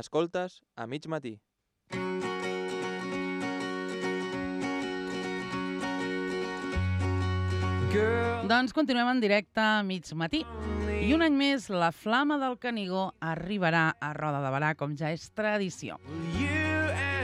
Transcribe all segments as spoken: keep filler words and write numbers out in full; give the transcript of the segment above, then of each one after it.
Escoltes a mig matí. Doncs continuem en directe a mig matí. I un any més, la Flama del Canigó arribarà a Roda de Berà, com ja és tradició.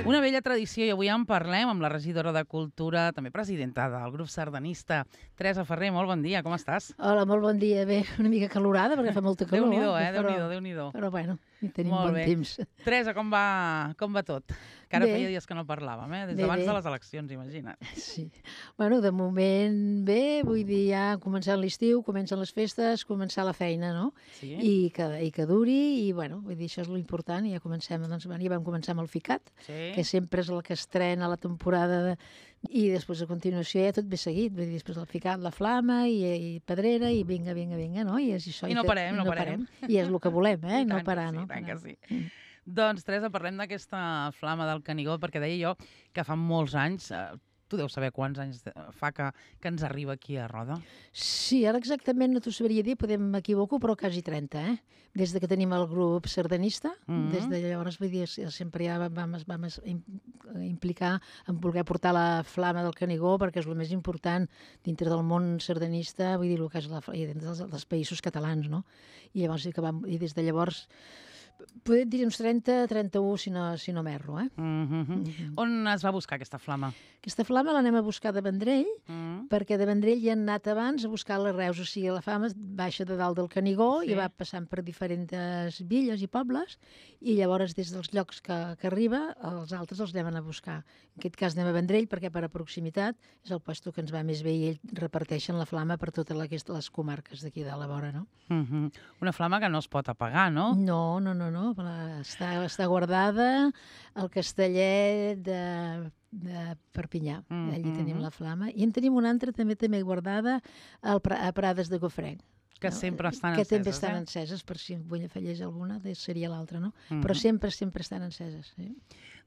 Una vella tradició, i avui en parlem amb la regidora de Cultura, també presidenta del grup sardanista, Teresa Ferrer. Molt bon dia, com estàs? Hola, molt bon dia. Bé, una mica calorada, perquè fa molta calor. Déu-n'hi-do, eh? Però, Déu-n'hi-do, Déu-n'hi-do. però bueno, hi tenim Molt bon bé. temps. Teresa, com va, com va tot? Que ara Bé. feia dies que no parlàvem, eh? Des Bé, d'abans bé. de les eleccions, imagina't. Sí. Bueno, de moment bé, vull dir, ja començant l'estiu, comencen les festes, començar la feina, no? Sí? I que, i que duri, i bueno, vull dir, això és l'important, i ja comencem, doncs, bueno, ja vam començar amb el Ficat, Sí? que sempre és el que estrena la temporada, de, i després a continuació ja tot ve seguit, vull dir, després el Ficat, la Flama, i, i Pedrera, i vinga, vinga, vinga, no? I, és això, I no tot- parem, no parem. I és el que volem, eh? I No tant que parar, sí, no? i tant que Parar. sí. Mm. Doncs, Teresa, parlem d'aquesta Flama del Canigó, perquè deia jo que fa molts anys, eh, tu deus saber quants anys de- fa que, que ens arriba aquí a Roda. Sí, ara exactament no t'ho sabria dir, podem m'equivoco, però quasi trenta, eh? Des de que tenim el grup sardanista, Mhm. des de llavors, vull dir, sempre ja vam, vam, vam es- im- implicar en voler portar la Flama del Canigó, perquè és el més important dintre del món sardanista, vull dir, el que és la, i dintre dels, dels països catalans, no? I llavors sí que vam, i des de llavors, podem dir uns trenta, trenta-u, si no, si no m'erro, eh? Mm -hmm. Mhm. On es va buscar aquesta flama? Aquesta Flama l'anem a buscar de Vendrell, Mm. perquè de Vendrell hi han anat abans a buscar les Reus, o sigui, la Flama baixa de dalt del Canigó Sí. i va passant per diferents villes i pobles, i llavors des dels llocs que, que arriba, els altres els anem a buscar. En aquest cas anem a Vendrell, perquè per a proximitat és el lloc que ens va més bé i ells reparteixen la Flama per totes les, les comarques d'aquí de la vora, no? Mm -hmm. Una flama que no es pot apagar, no? No, no, no, no. la- Està, està guardada al castellet de, de Perpinyà. Mm, Allí tenim mhm. la Flama. I en tenim una altra també també guardada al, Pra- a Prades de Gofrenc. Que sempre estan que enceses, també estan eh? enceses, per si vull afegeix alguna, de- seria l'altra, no? Mhm. Però sempre, sempre estan enceses. Sí?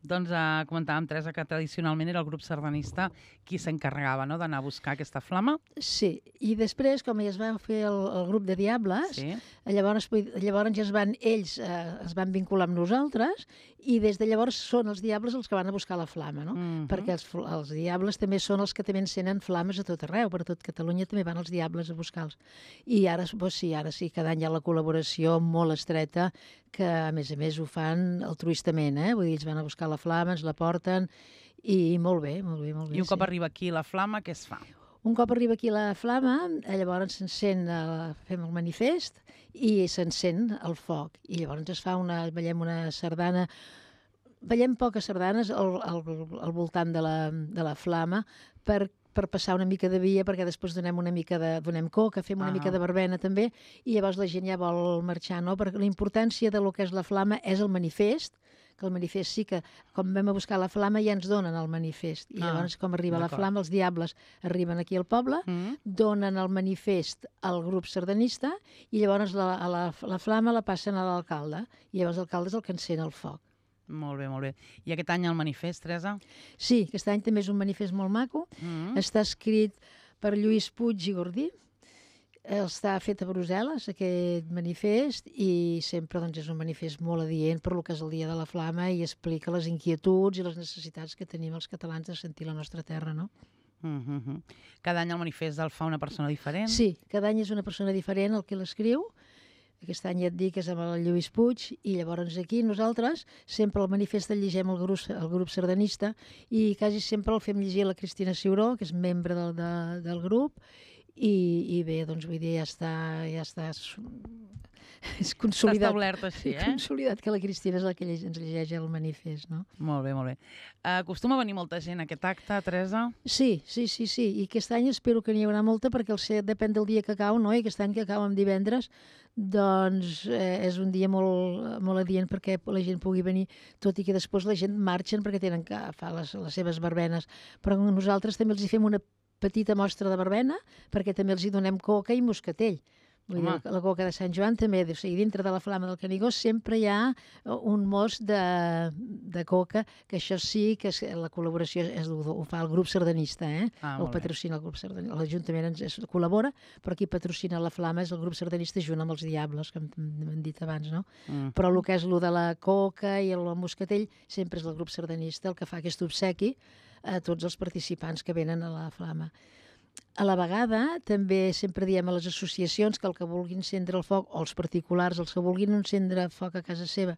Doncs eh, comentàvem, Teresa, que tradicionalment era el grup sardanista qui s'encarregava, no?, d'anar a buscar aquesta flama. Sí, i després, com ja es va fer el, el grup de Diables, Sí. llavors, vull- llavors ja es van, ells eh, es van vincular amb nosaltres, i des de llavors són els Diables els que van a buscar la flama, no? Mhm. Perquè els, fl- els Diables també són els que també encenen flames a tot arreu, per tot Catalunya també van els Diables a buscar-los. I ara, doncs sí, ara sí, cada any hi ha la col·laboració molt estreta, que a més a més ho fan altruistament, eh? Vull dir, ells van a buscar la flama, ens la porten, i molt bé, molt bé, molt bé. I un cop sí. arriba aquí la flama, què es fa? Un cop arriba aquí la flama, eh, llavors s'encén, eh, fem el manifest i s'encén el foc. I llavors es fa una, ballem una sardana, ballem poques sardanes al, al, al voltant de la, de la flama per per passar una mica de via, perquè després donem una mica de, donem coca, fem una Ah. mica de verbena també, i llavors la gent ja vol marxar, no? Perquè la importància de lo que és la flama és el manifest, que el manifest sí que, com vam a buscar la flama, ja ens donen el manifest. I Ah, llavors, com arriba la d'acord. flama, els diables arriben aquí al poble, Mm. donen el manifest al grup sardanista i llavors la, a la, la flama la passen a l'alcalde, i llavors l'alcalde és el que encén el foc. Molt bé, molt bé. I aquest any el manifest, Teresa? Sí, aquest any també és un manifest molt maco, Mm. està escrit per Lluís Puig i Gordí, està fet a Brussel·les, aquest manifest, i sempre doncs, és un manifest molt adient per lo que és el Dia de la Flama i explica les inquietuds i les necessitats que tenim els catalans de sentir la nostra terra, no? Mm -hmm. Cada any el manifest el fa una persona diferent? Sí, cada any és una persona diferent el que l'escriu. Aquest any ja et dic que és amb el Lluís Puig, i llavors aquí nosaltres sempre el manifest el llegem el grup, el grup sardanista, i quasi sempre el fem llegir a la Cristina Ciuró, que és membre del, de, del grup, i, i bé, doncs vull dir, ja està, ja està, és Està consolidat. establert així, eh? Consolidat que la Cristina és la que lleg, ens llegeix el manifest, no? Molt bé, molt bé. Acostuma a venir molta gent a aquest acte, Teresa? Sí, sí, sí, sí, i aquest any espero que n'hi haurà molta, perquè el set depèn del dia que cau, no? I aquest any que cau en divendres, doncs eh, és un dia molt, molt adient perquè la gent pugui venir, tot i que després la gent marxen perquè tenen que fer les, les seves verbenes, però nosaltres també els hi fem una petita mostra de verbena, perquè també els hi donem coca i moscatell. Vull dir, la, la coca de Sant Joan també, o sigui, dintre de la flama del Canigó sempre hi ha un mos de, de coca, que això sí que és, la col·laboració és, ho fa el grup sardanista, eh? Ah, El patrocina el grup sardanista. L'Ajuntament ens es, col·labora, però qui patrocina la flama és el grup sardanista junt amb els Diables, que hem dit abans, no? Mm. Però el que és el de la coca i el moscatell sempre és el grup sardanista el que fa aquest obsequi a tots els participants que venen a la flama. A la vegada, també sempre diem a les associacions que el que vulguin encendre el foc, o els particulars, els que vulguin encendre foc a casa seva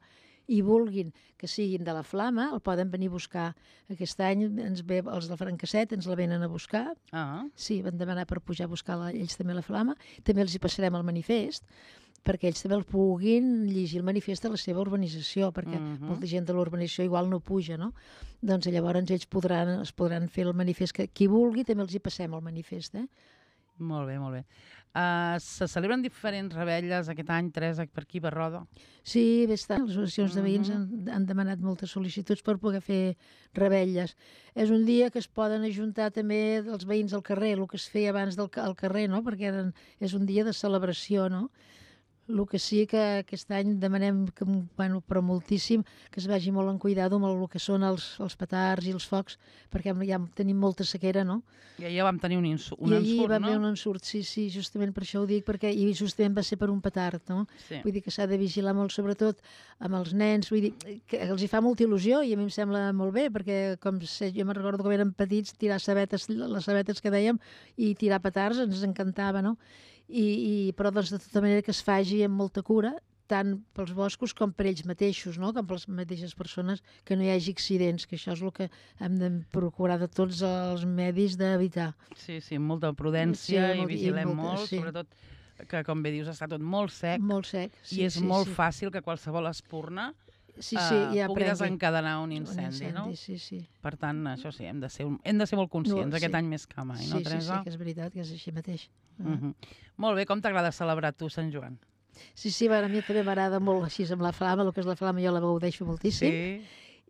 i vulguin que siguin de la flama, el poden venir a buscar. Aquest any ens ve, els del Francasset ens la venen a buscar. Ah. Sí, van demanar per pujar a buscar la, ells també la flama. També els hi passarem el manifest, perquè ells també el puguin llegir el manifest de la seva urbanització, perquè uh-huh. molta gent de l'urbanització igual no puja, no? Doncs llavors ells podran, es podran fer el manifest, que qui vulgui també els hi passem el manifest, eh? Molt bé, molt bé. Uh, se celebren diferents revetlles aquest any, Teresa, per aquí, per Roda? Sí, bé està. Les associacions de veïns han, han demanat moltes sol·licituds per poder fer revetlles. És un dia que es poden ajuntar també els veïns al carrer, el que es feia abans del al carrer, no? Perquè eren, és un dia de celebració, no? El que sí que aquest any demanem, que, bueno, però moltíssim, que es vagi molt en cuidado amb el que són els, els petards i els focs, perquè ja tenim molta sequera, no? I ahir vam tenir un, insu un I ensurt, no? I ahir va haver un ensurt, sí, sí, justament per això ho dic, perquè i justament va ser per un petard, no? Sí. Vull dir que s'ha de vigilar molt, sobretot amb els nens, vull dir que els hi fa molta il·lusió i a mi em sembla molt bé, perquè com sé, jo me'n recordo quan érem petits, tirar sabetes, les sabetes que dèiem, i tirar petards ens encantava, no? I, i, però doncs, de tota manera que es faci amb molta cura, tant pels boscos com per ells mateixos, no? Com per les mateixes persones, que no hi hagi accidents, que això és el que hem de procurar de tots els medis d'evitar. Sí, sí, molta prudència sí, i vigilem i molta, molt, sí. Sobretot que, com bé dius, està tot molt sec. Molt sec, sí, I és sí, molt sí. fàcil que qualsevol espurna sí, sí, ja uh, pugui desencadenar un incendi, un incendi, no? Sí, sí. Per tant, això sí, hem de ser, hem de ser molt conscients no, sí. aquest any més que mai, sí, no, Teresa? Sí, sí, que és veritat, que és així mateix. Uh -huh. Molt bé, com t'agrada celebrar tu Sant Joan? Sí, sí, bueno, a mi també m'agrada molt així amb la flama, el que és la flama jo la gaudeixo moltíssim. Sí.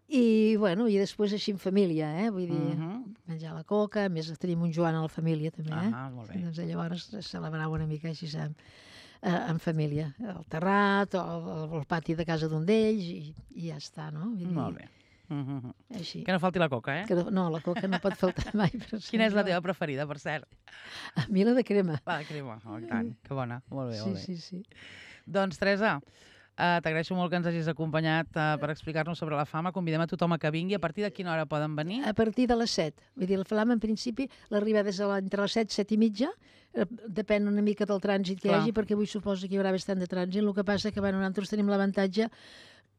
I, bueno, i després així en família, eh? Vull dir, uh -huh. menjar la coca, a més tenim un Joan a la família també, eh? Ah, molt bé. I, doncs llavors celebrar una mica així amb, eh, en família, al terrat o al pati de casa d'un d'ells i, i ja està, no? Vull dir, molt bé. Uh -huh. Així. Que no falti la coca, eh? Que no, no, la coca no pot faltar mai. Per Quina és la teva preferida, per cert? A mi la de crema. La de crema, oh, tant, que bona. Molt bé, sí, molt bé. Sí, sí, sí. Doncs, Teresa, uh, t'agraeixo molt que ens hagis acompanyat uh, per explicar-nos sobre la flama. Convidem a tothom a que vingui. A partir de quina hora poden venir? A partir de les set. Vull dir, la flama, en principi, l'arriba des de la, entre les set, set i mitja. Depèn una mica del trànsit que Clar. hi hagi, perquè avui suposo que hi haurà bastant de trànsit. El que passa que, bueno, nosaltres tenim l'avantatge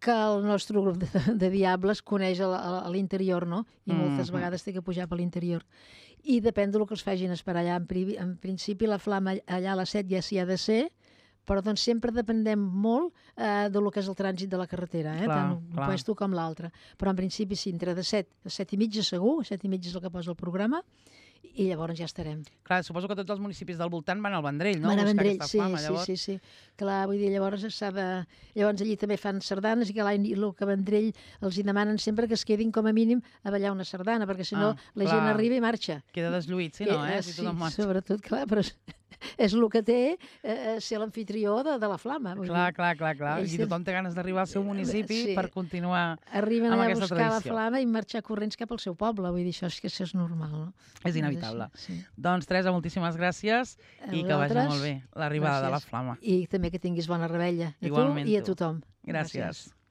que el nostre grup de, de diables coneix a, a, a l'interior, no? I mm -hmm. moltes vegades té que pujar per l'interior. I depèn del que els facin esperar allà. En, en principi, la flama allà a les set ja s'hi ha de ser, però doncs sempre dependem molt eh, del que és el trànsit de la carretera, eh? Clar, tant un clar. puesto com l'altre. Però en principi sí, entre de set a set i mitja segur, set i mitja és el que posa el programa, i llavors ja estarem. Clar, suposo que tots els municipis del voltant van al Vendrell, no? Van al Vendrell, sí, flama, sí, sí, sí. Clar, vull dir, llavors s'ha de... Llavors allí també fan sardanes i que l'any el que Vendrell els hi demanen sempre que es quedin com a mínim a ballar una sardana, perquè si no ah, la clar. gent arriba i marxa. Queda deslluït, si no, eh? eh si sí, sobretot, clar, però és el que té eh, ser l'anfitrió de, de la flama. Clar, dir. clar, clar, clar. I tothom té ganes d'arribar al seu municipi sí. per continuar Arriben amb a aquesta buscar tradició. la flama i marxar corrents cap al seu poble. Vull dir, això és que això és normal, no? És inevitable. Sí. Doncs, Teresa, moltíssimes gràcies i que vagi molt bé l'arribada de la flama. I també que tinguis bona rebella a Igualment tu i a tothom. Gràcies. gràcies.